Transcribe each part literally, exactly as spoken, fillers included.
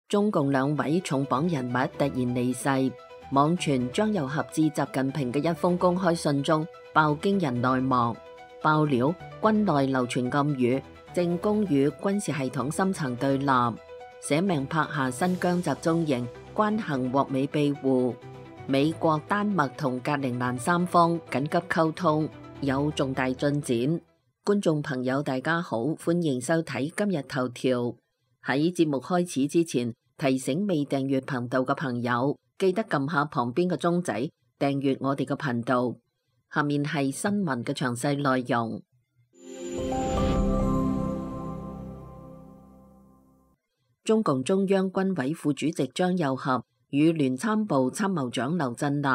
中共兩位重磅人物突然離世，網傳張又俠致習近平嘅一封公開信中爆驚人內幕，爆料軍內流傳暗語，政工與軍事系統深層對立，捨命拍下新疆集中營，關幸獲美庇護，美國、丹麥同格陵蘭三方緊急溝通，有重大進展。觀眾朋友大家好，歡迎收睇今日頭條。喺節目開始之前，提醒未訂閱頻道嘅朋友，記得撳下旁邊嘅鐘仔，訂閱我哋嘅頻道。下面係新聞嘅詳細內容。中共中央軍委副主席張又俠與聯參部參謀長劉振立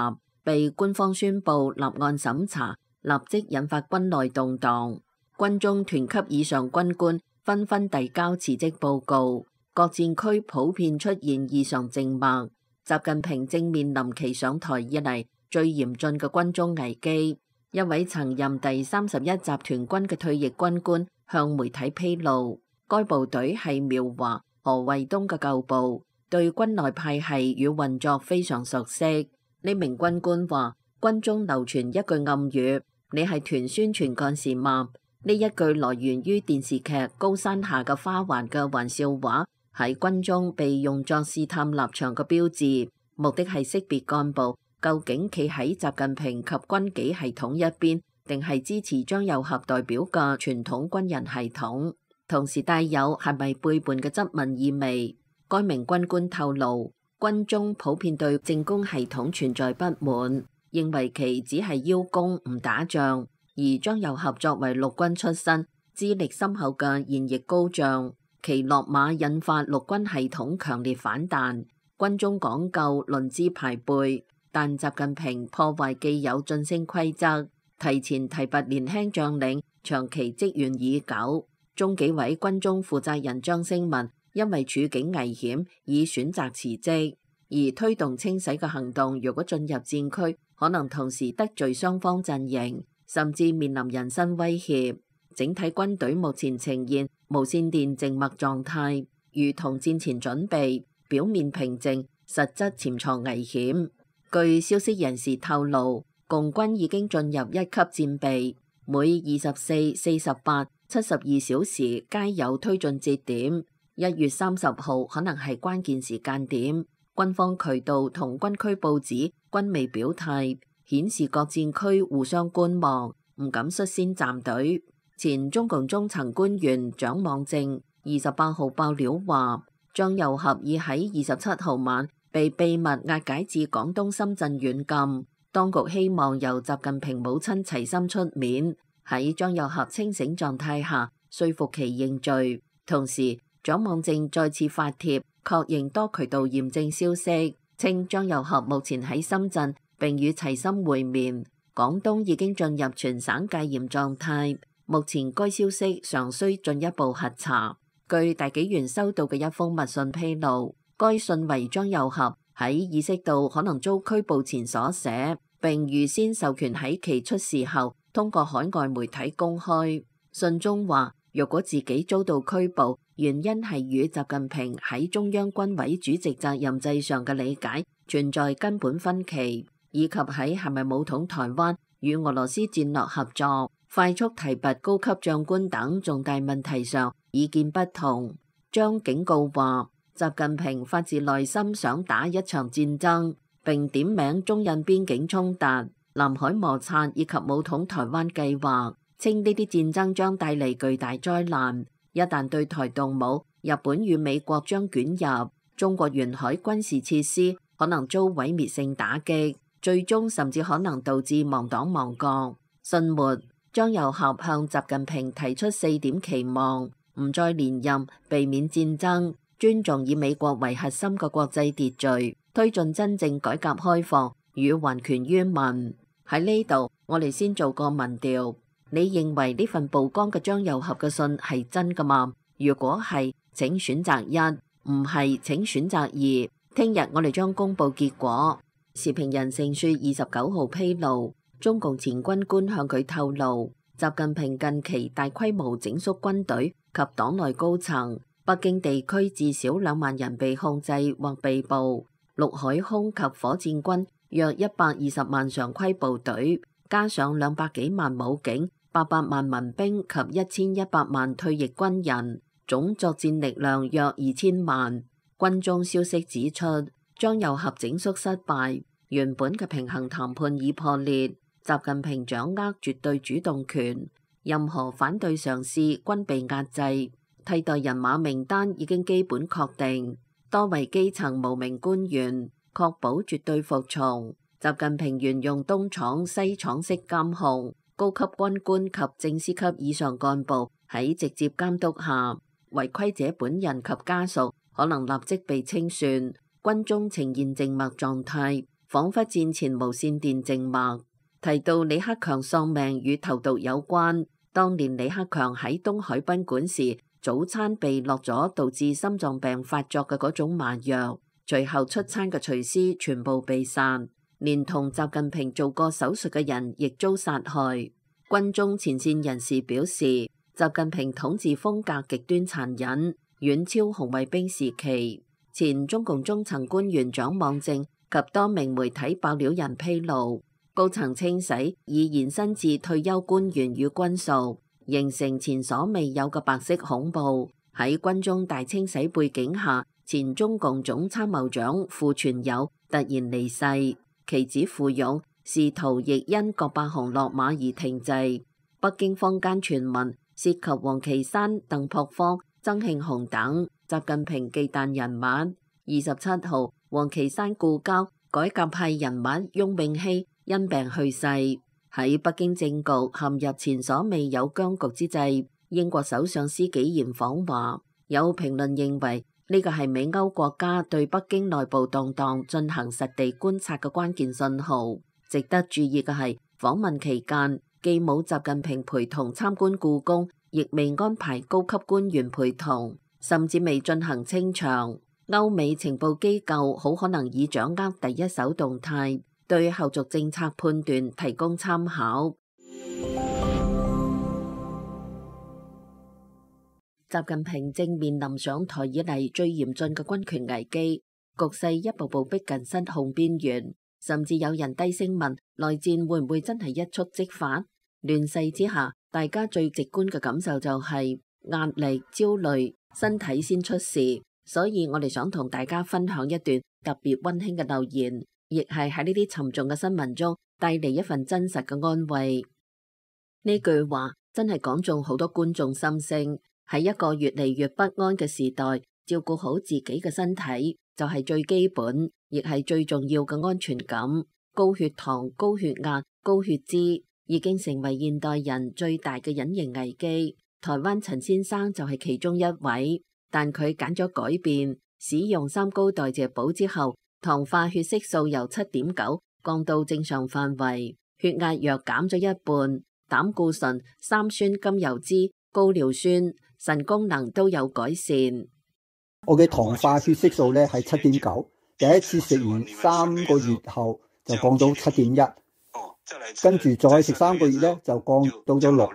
被官方宣布立案審查，立即引發軍內動盪。軍中團級以上軍官紛紛遞交辭職報告，各戰區普遍出現異常靜默。習近平正面臨其上台以嚟最嚴峻嘅軍中危機。一位曾任第三十一集團軍嘅退役軍官向媒體披露，該部隊係苗華、何衛東嘅舊部，對軍內派系與運作非常熟悉。呢名軍官話，軍中流傳一句暗語：你係團宣傳幹事嗎？呢一句來源於電視劇《高山下嘅花環》嘅玩笑話，喺軍中被用作試探立場嘅標誌，目的係識別幹部究竟企喺習近平及軍紀系統一邊，定係支持張又俠代表嘅傳統軍人系統，同時帶有係咪背叛嘅質問意味。該名軍官透露，軍中普遍對政工系統存在不滿，認為其只係邀功唔打仗。而張又俠作為陸軍出身、資歷深厚嘅現役高將，其落馬引發陸軍系統強烈反彈。軍中講究論資排輩，但習近平破壞既有晉升規則，提前提拔年輕將領，長期積怨已久。中紀委軍中負責人張升文因為處境危險，已選擇辭職。而推動清洗嘅行動，如果進入戰區，可能同時得罪雙方陣營，甚至面臨人身威脅。整體軍隊目前呈現無線電靜默狀態，如同戰前準備，表面平靜，實質潛藏危險。據消息人士透露，共軍已經進入一級戰備，每二十四、四十八、七十二小時皆有推進節點。一月三十號可能係關鍵時間點。軍方渠道同軍區報紙均未表態，顯示各戰區互相觀望，唔敢率先站隊。前中共中層官員蔣望正二十八號爆料話，張又俠已喺二十七號晚被秘密押解至廣東深圳軟禁。當局希望由習近平母親齊心出面，喺張又俠清醒狀態下說服其認罪。同時，蔣望正再次發帖確認多渠道驗證消息，稱張又俠目前喺深圳並與齊心會面。廣東已經進入全省戒嚴狀態，目前該消息尚需進一步核查。據大紀元收到嘅一封密信披露，該信為張又俠喺意識到可能遭拘捕前所寫，並預先授權喺其出事後通過海外媒體公開。信中話，若果自己遭到拘捕，原因係與習近平喺中央軍委主席責任制上嘅理解存在根本分歧，以及喺係咪武統台灣與俄羅斯戰略合作、快速提拔高級將官等重大問題上意見不同。將警告話，習近平發自內心想打一場戰爭，並點名中印邊境衝突、南海摩擦以及武統台灣計劃，稱呢啲戰爭將帶嚟巨大災難。一旦對台動武，日本與美國將捲入，中國沿海軍事設施可能遭毀滅性打擊，最終甚至可能導致亡黨亡國。信末，張又俠向習近平提出四點期望：唔再連任，避免戰爭，尊重以美國為核心嘅國際秩序，推進真正改革開放與還權於民。喺呢度，我哋先做個民調。你認為呢份曝光嘅張又俠嘅信係真㗎嘛？如果係，請選擇一；唔係，請選擇二。聽日我哋將公佈結果。時評人盛雪二十九號披露，中共前軍官向佢透露，習近平近期大規模整肅軍隊及黨內高層，北京地區至少兩萬人被控制或被捕，陸海空及火箭軍約一百二十萬常規部隊，加上兩百幾萬武警、八百萬民兵及一千一百萬退役軍人，總作戰力量約二千萬。軍中消息指出，張又俠整肅失敗，原本嘅平衡談判已破裂。習近平掌握絕對主動權，任何反對嘗試均被壓制。替代人馬名單已經基本確定，多位基層無名官員確保絕對服從。習近平沿用東廠西廠式監控，高級軍官及正司級以上幹部喺直接監督下，違規者本人及家屬可能立即被清算。軍中呈現靜默狀態，仿佛戰前無線電靜默。提到李克強喪命與投毒有關，當年李克強喺東海賓館時，早餐被落咗導致心臟病發作嘅嗰種麻藥，隨後出餐嘅廚師全部被殺，連同習近平做過手術嘅人亦遭殺害。軍中前線人士表示，習近平統治風格極端殘忍，遠超紅衛兵時期。前中共中層官員蔣望正及多名媒體爆料人披露，高層清洗已延伸至退休官員與軍屬，形成前所未有嘅白色恐怖。喺軍中大清洗背景下，前中共總參謀長傅傳友突然離世，其子傅勇仕途亦因郭伯雄落馬而停滯。北京坊間傳聞涉及王岐山、鄧樸方、曾慶紅等習近平忌憚人物。二十七號，王岐山故交改革派人物翁永熙因病去世。喺北京政局陷入前所未有僵局之際，英國首相施紀賢訪華，有評論認為呢個係美歐國家對北京內部動盪進行實地觀察嘅關鍵信號。值得注意嘅係，訪問期間既冇習近平陪同參觀故宮，亦未安排高級官員陪同，甚至未進行清場。歐美情報機構好可能已掌握第一手動態，對後續政策判斷提供參考。習近平正面臨上台以嚟最嚴峻嘅軍權危機，局勢一步步逼近失控邊緣，甚至有人低聲問內戰會唔會真係一觸即發？亂世之下，大家最直觀嘅感受就係壓力、焦慮，身體先出事。所以我哋想同大家分享一段特別溫馨嘅留言，亦係喺呢啲沉重嘅新聞中帶嚟一份真實嘅安慰。呢句話真係講中好多觀眾心聲。喺一個越嚟越不安嘅時代，照顧好自己嘅身體就係最基本，亦係最重要嘅安全感。高血糖、高血壓、高血脂已經成為現代人最大嘅隱形危機。台灣陳先生就係其中一位。但佢揀咗改變，使用三高代謝寶之後，糖化血色素由七點九降到正常範圍，血壓藥減咗一半，膽固醇、三酸甘油脂、高尿酸、腎功能都有改善。我嘅糖化血色素咧係七點九，第一次食完三個月後就降到七點一，跟住再食三個月咧就降到咗六，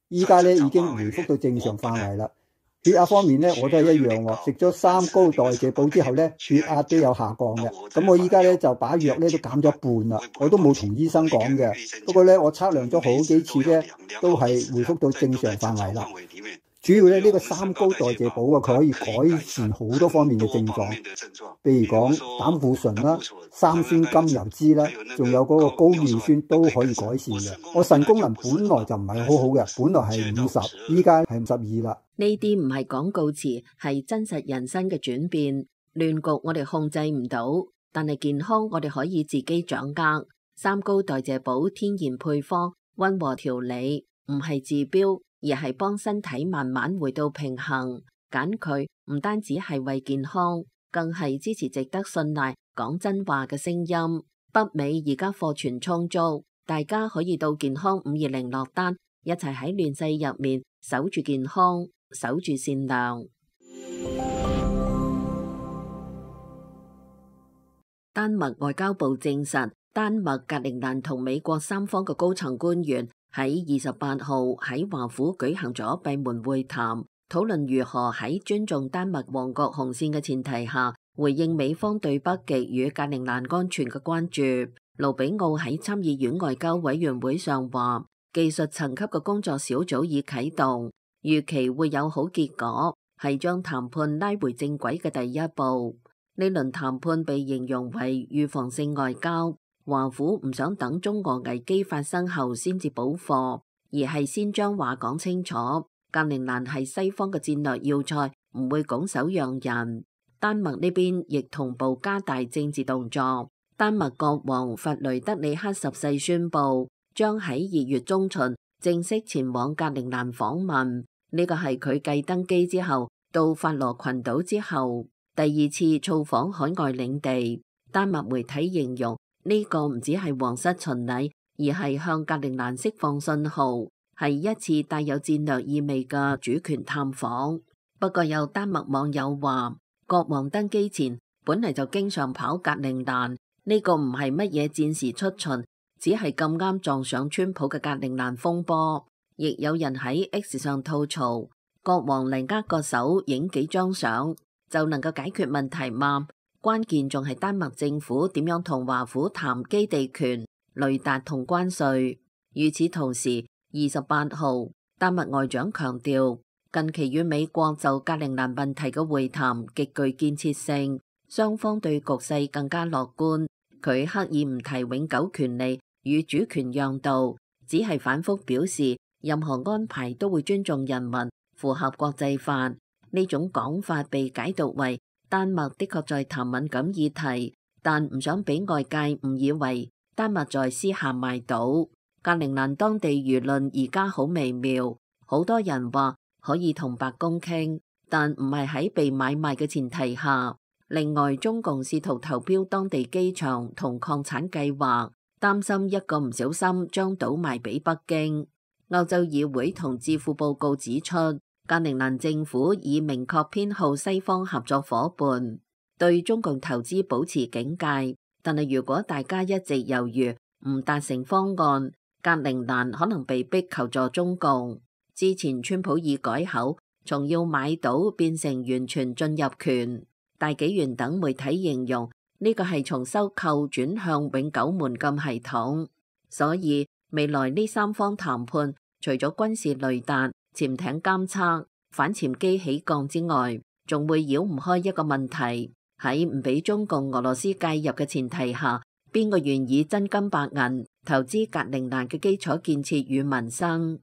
依家咧已經回復到正常範圍啦。血壓方面咧，我都係一樣喎。食咗三高代謝寶之後咧，血壓都有下降嘅。咁我依家咧就把藥咧都減咗一半啦。我都冇同醫生講嘅。不過咧，我測量咗好幾次咧，都係回復到正常範圍啦。主要咧呢個三高代謝寶啊，佢可以改善好多方面嘅症狀，譬如講膽固醇啦、三酸甘油脂啦，仲有嗰個高尿酸都可以改善嘅。我腎功能本來就唔係好好嘅，本來係五十，依家係五十二啦。呢啲唔係廣告詞，係真實人生嘅轉變。亂局我哋控制唔到，但係健康我哋可以自己掌握。三高代謝寶天然配方，溫和調理，唔係治標，而係幫身體慢慢回到平衡。揀佢唔單止係為健康，更係支持值得信賴講真話嘅聲音。北美而家貨存充足，大家可以到健康五二零落單，一齊喺亂世入面守住健康，守住善良。丹麥外交部證實，丹麥、格陵蘭同美國三方嘅高層官員喺二十八號喺華府舉行咗閉門會談，討論如何喺尊重丹麥王國紅線嘅前提下，回應美方對北極與格陵蘭安全嘅關注。盧比奧喺參議院外交委員會上話，技術層級嘅工作小組已啟動，預期會有好結果，係將談判拉回正軌嘅第一步。呢輪談判被形容為預防性外交，華府唔想等中俄危機發生後先至補貨，而係先將話講清楚。格陵蘭係西方嘅戰略要塞，唔會拱手讓人。丹麥呢邊亦同步加大政治動作。丹麥國王弗雷德里克十世宣布，將喺二月中旬正式前往格陵蘭訪問。呢個係佢繼登基之後到法羅群島之後第二次造訪海外領地。丹麥媒體形容呢個唔只係皇室巡禮，而係向格陵蘭釋放信號，係一次帶有戰略意味嘅主權探訪。不過有丹麥網友話，國王登基前本嚟就經常跑格陵蘭，呢個唔係乜嘢戰時出巡，只係咁啱撞上川普嘅格陵蘭風波。亦有人喺 X 上吐槽，國王嚟握個手影幾張相就能夠解決問題嗎？關鍵仲係丹麥政府點樣同華府談基地權、雷達同關稅。與此同時，二十八號丹麥外長強調，近期與美國就格陵蘭問題嘅會談極具建設性，雙方對局勢更加樂觀。佢刻意唔提永久權利與主權讓渡，只係反覆表示任何安排都會尊重人民，符合國際法。呢種講法被解讀為丹麥的確在談敏感議題，但唔想俾外界誤以為丹麥在私下賣島。格陵蘭當地輿論而家好微妙，好多人話可以同白宮傾，但唔係喺被買賣嘅前提下。另外，中共試圖投標當地機場同礦產計劃，擔心一個唔小心將島賣俾北京。歐洲議會同智庫報告指出，格陵蘭政府已明確偏好西方合作夥伴，對中共投資保持警戒。但係如果大家一直猶豫，唔達成方案，格陵蘭可能被逼求助中共。之前川普已改口，從要買島變成完全進入權。大紀元等媒體形容呢個係從收購轉向永久門禁系統。所以未來呢三方談判，除咗軍事雷達、潛艇監測、反潛機起降之外，仲會繞唔開一個問題，喺唔俾中共、俄羅斯介入嘅前提下，邊個願意真金白銀投資格陵蘭嘅基礎建設與民生？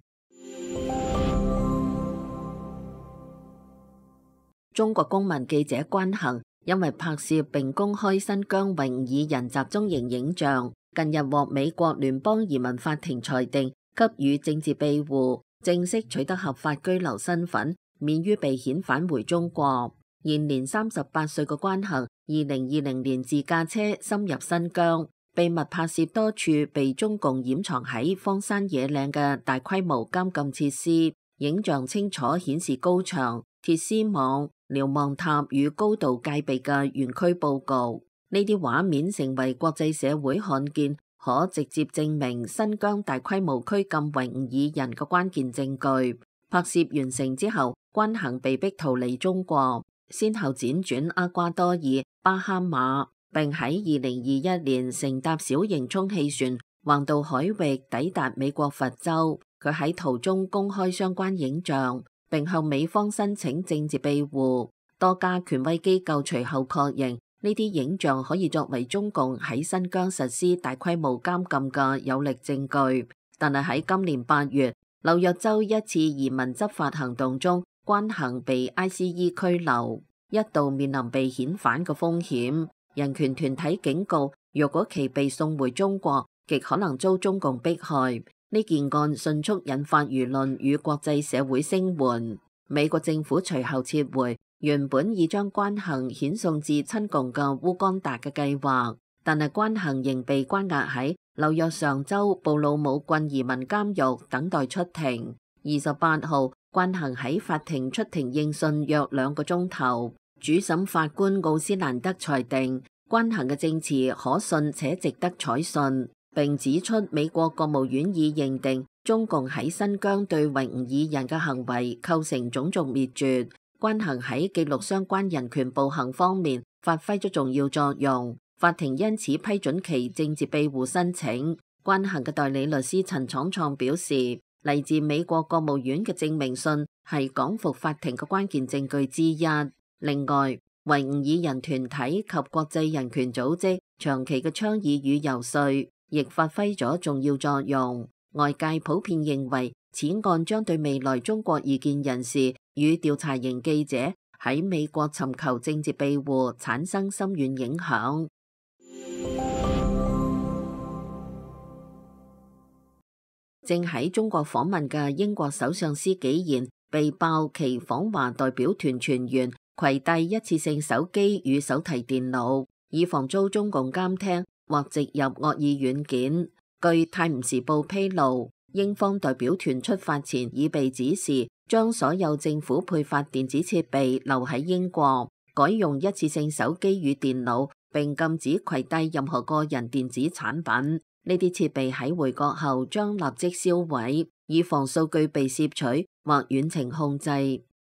中國公民記者關恒因為拍攝並公開新疆維吾爾人集中營影像，近日獲美國聯邦移民法庭裁定給予政治庇護，正式取得合法居留身份，免於被遣返回中國。現年三十八歲嘅關恒，二零二零年自駕車深入新疆，秘密拍攝多處被中共掩藏喺荒山野嶺嘅大規模監禁設施，影像清楚顯示高牆、鐵絲網、瞭望塔與高度戒備嘅園區佈局。呢啲畫面成為國際社會看見，可直接證明新疆大規模拘禁維吾爾人嘅關鍵證據。拍攝完成之後，關恒被逼逃離中國，先後輾轉厄瓜多爾、巴哈馬，並喺二零二一年乘搭小型充氣船橫渡海域抵達美國佛州。佢喺途中公開相關影像，並向美方申請政治庇護。多家權威機構隨後確認呢啲影像可以作為中共喺新疆實施大規模監禁嘅有力證據。但係喺今年八月，紐約州一次移民執法行動中，關恒被 I C E 拘留，一度面臨被遣返嘅風險。人權團體警告，若果其被送回中國，極可能遭中共迫害。呢件案迅速引發輿論與國際社會聲援。美國政府隨後撤回原本已將關恒遣送至親共嘅烏干達嘅計劃，但係關恒仍被關押喺紐約上州布魯姆郡移民監獄等待出庭。二十八號，關恒喺法庭出庭應訊約兩個鐘頭，主審法官奧斯蘭德裁定關恒嘅證詞可信且值得採信，並指出美國國務院已認定中共喺新疆對維吾爾人嘅行為構成種族滅絕，關行喺記錄相關人權暴行方面發揮咗重要作用，法庭因此批准其政治庇護申請。關行嘅代理律師陳闖創表示，嚟自美國國務院嘅證明信係講服法庭嘅關鍵證據之一。另外，維吾爾人團體及國際人權組織長期嘅倡議與游說，亦發揮咗重要作用。外界普遍認為，此案將對未來中國異見人士與調查型記者喺美國尋求政治庇護產生深遠影響。正喺中國訪問嘅英國首相施紀賢被爆其訪華代表團全員攜帶一次性手機與手提電腦，以防遭中共監聽或植入惡意軟件。據《泰晤士報》披露，英方代表團出發前已被指示將所有政府配發電子設備留喺英國，改用一次性手機與電腦，並禁止攜帶任何個人電子產品。呢啲設備喺回國後將立即銷毀，以防數據被攝取或遠程控制。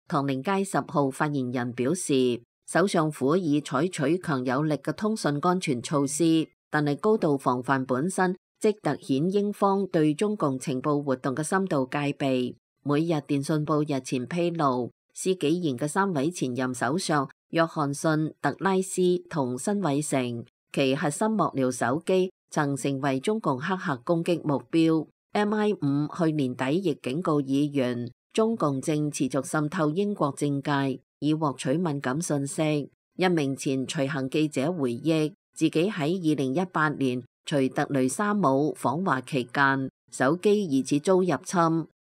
唐寧街十號發言人表示，首相府已採取強有力嘅通訊安全措施，但係高度防範本身即凸顯英方對中共情報活動嘅深度戒備。每日電訊報日前披露，施紀賢嘅三位前任首相約翰遜、特拉斯同辛偉誠，其核心幕僚手機曾成為中共黑客攻擊目標。M I 五去年底亦警告議員，中共正持續滲透英國政界，以獲取敏感信息。一名前隨行記者回憶，自己喺二零一八年隨特雷莎姆訪華期間，手機疑似遭入侵。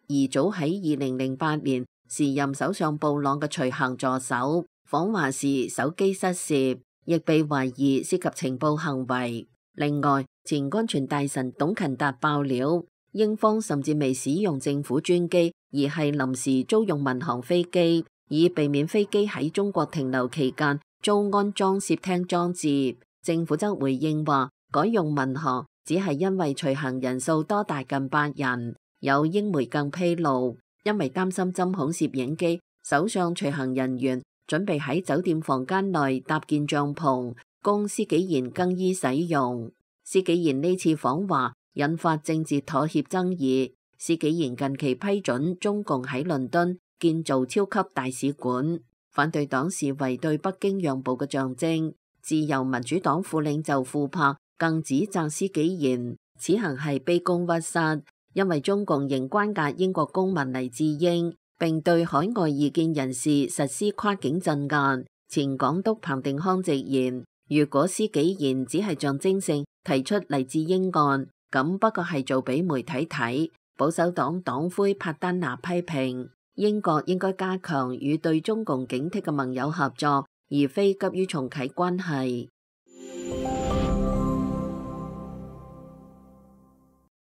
而早喺二零零八年，時任首相布朗嘅隨行助手訪華時手機失竊，亦被懷疑涉及情報行為。另外，前安全大臣董勤達爆料，英方甚至未使用政府專機，而係臨時租用民航飛機，以避免飛機喺中國停留期間遭安裝攝聽裝置。政府則回應話，改用民航只係因為隨行人數多達近百人。有英媒更披露，因為擔心針孔攝影機，首相隨行人員準備喺酒店房間內搭建帳篷，供施紀賢更衣使用。施紀賢呢次訪華引發政治妥協爭議。施紀賢近期批准中共喺倫敦建造超級大使館，反對黨視為對北京讓步嘅象徵。自由民主黨副領袖庫珀更指責施紀賢此行係卑躬屈膝，因為中共仍關押英國公民黎智英，並對海外異見人士實施跨境鎮壓。前港督彭定康直言，如果施紀賢只係象徵性提出黎智英案，咁不過係做俾媒體睇。保守黨黨魁帕丹拿批評，英國應該加強與對中共警惕嘅盟友合作，而非急於重啟關係。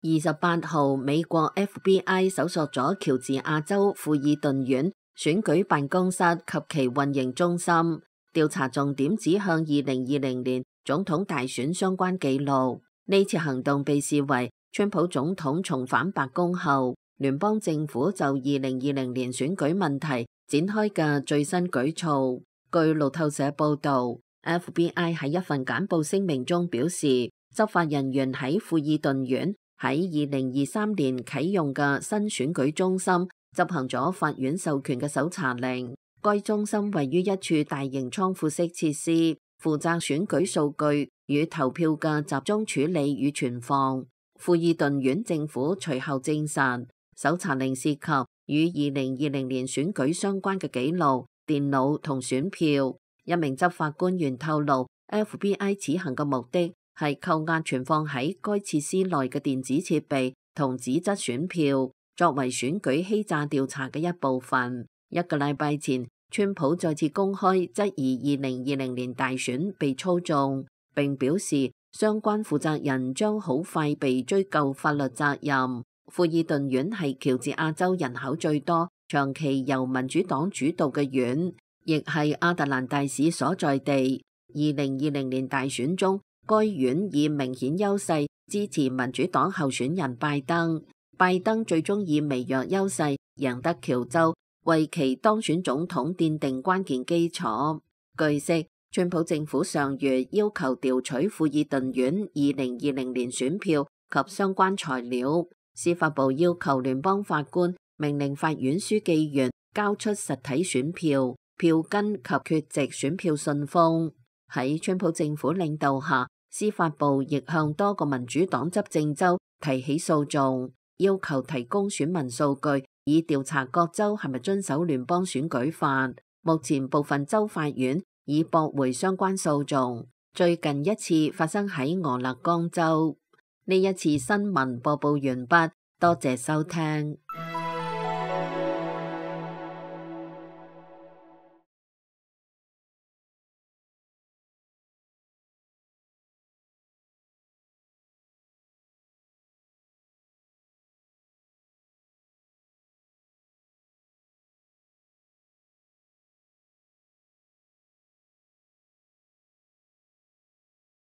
二十八號，美國 F B I 搜索咗喬治亞州富爾頓縣選舉辦公室及其運營中心，調查重點指向二零二零年總統大選相關記錄。呢次行動被視為川普總統重返白宮後，聯邦政府就二零二零年選舉問題展開嘅最新舉措。據路透社報道， F B I 喺一份簡報聲明中表示，執法人員喺富爾頓縣喺二零二三年啟用嘅新選舉中心執行咗法院授權嘅搜查令。該中心位於一處大型倉庫式設施，負責選舉數據與投票嘅集中處理與存放。富爾頓縣政府隨後證實，搜查令涉及與二零二零年選舉相關嘅記錄、電腦同選票。一名執法官員透露， F B I 此行嘅目的係扣押存放喺該設施內嘅電子設備同紙質選票，作為選舉欺詐調查嘅一部分。一個禮拜前，川普再次公開質疑二零二零年大選被操縱，並表示相關負責人將好快被追究法律責任。富爾頓縣係喬治亞州人口最多、長期由民主黨主導嘅縣，亦係亞特蘭大市所在地。二零二零年大選中，該縣以明顯優勢支持民主黨候選人拜登。拜登最終以微弱優勢贏得喬州，為其當選總統奠定關鍵基礎。據悉，川普政府上月要求調取庫爾頓縣二零二零年選票及相關材料，司法部要求聯邦法官命令法院書記員交出實體選票、票根及缺席選票信封。喺川普政府領導下，司法部亦向多個民主黨執政州提起訴訟，要求提供選民數據，以調查各州係咪遵守聯邦選舉法。目前部分州法院已駁回相關訴訟。最近一次發生喺俄勒岡州。呢一次新聞播報完畢，多謝收聽。